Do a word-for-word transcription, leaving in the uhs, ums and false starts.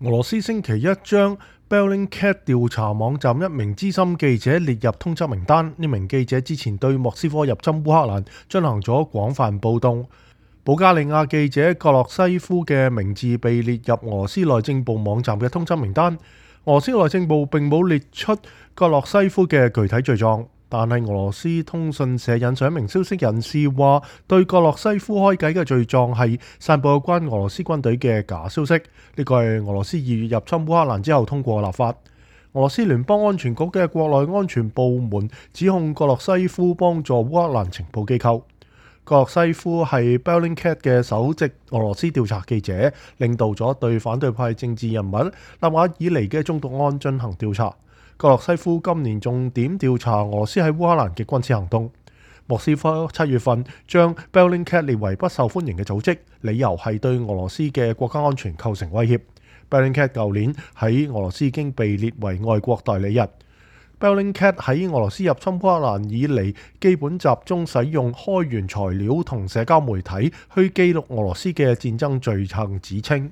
俄羅斯星期一將 Bellingcat 調查網站一名資深記者列入通緝名單。呢名記者之前對莫斯科入侵烏克蘭進行咗廣泛暴動。保加利亞記者格洛西夫嘅名字被列入俄羅斯內政部網站嘅通緝名單。俄羅斯內政部並冇列出格洛西夫嘅具體罪狀，但係俄羅斯通訊社引述一名消息人士話，對格洛西夫開解嘅罪狀係散佈有關俄羅斯軍隊嘅假消息。呢個係俄羅斯二月入侵烏克蘭之後通過立法。俄羅斯聯邦安全局嘅國內安全部門指控格洛西夫幫助烏克蘭情報機構。格洛西夫係 Bellingcat 嘅首席俄羅斯調查記者，領導咗對反對派政治人物納瓦爾尼嘅中毒案進行調查。格洛西夫今年重點調查俄羅斯喺烏克蘭嘅軍事行動。莫斯科七月份將 Bellingcat 列為不受歡迎嘅組織，理由係對俄羅斯嘅國家安全構成威脅。Bellingcat 舊年喺俄羅斯已經被列為外國代理人。Bellingcat 喺俄羅斯入侵烏克蘭以嚟，基本集中使用開源材料同社交媒體去記錄俄羅斯嘅戰爭罪行指稱。